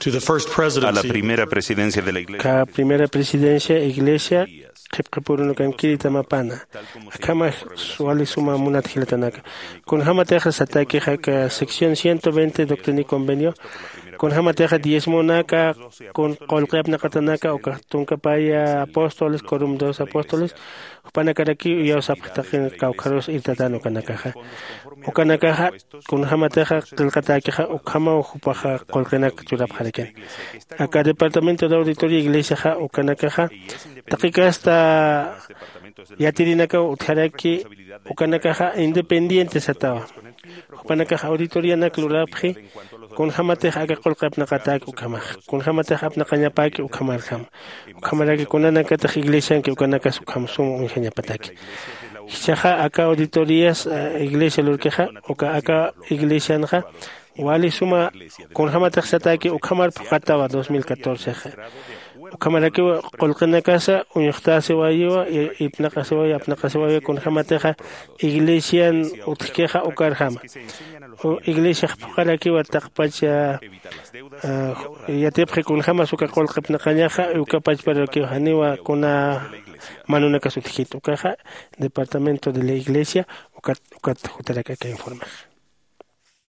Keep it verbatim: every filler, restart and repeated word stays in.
to the first presidency. A la primera presidencia de la iglesia. Ka primera presidencia iglesia qhipqipurunakankiri tamapana. Akhama wali suma munat jilatanaka, kunjämatixa satakixa ka sección ciento veinte doctrina y convenio, kunjämatixa diezmonaka, kun qullqi apnaqatanaka uka tunkapaya apóstoles corum dos apóstoles, jupanakarakiw iyawsapxtaqin kawkharus irtatan ukanakaxa. Ukanakaxa kunjämatixa qillqatäkixa ukhamaw jupaxa qullqinak churapxarakin. Aka departamento de auditoría iglesiaxa ukanakaxa taqi kasta yatirinakaw utjaraki, ukanakaxa independiente satawa. Jupanakax auditorianak lurapxi kunjämatix aka qullqi apnaqatäki ukhamax, kunjämatix apnaqañapäki ukhamarjama, ukhamaraki kunanakatix iglesianki ukanakas ukham sum uñjañapataki. Jichhaxa aka auditorías iglesia lurkixa uka aka iglesianxa wali suma kunjämatix satäki ukhamar phuqatawa dos mil catorcexa. Ukhamarakiw qullqinakasa uñxtäsiwayiwa, ipnaqasiwayi apnaqasiwayi kunjämatixa iglesian utjkixa ukarjama. Iglesiax phuqarakiwa taqpacha yatipxi kunjämas uka qullqi apnaqañaxa, uka pachparakiw janiwa kuna manunakas utjkit ukaxa departamento de la iglesia ukat ukat jutarak aka informax.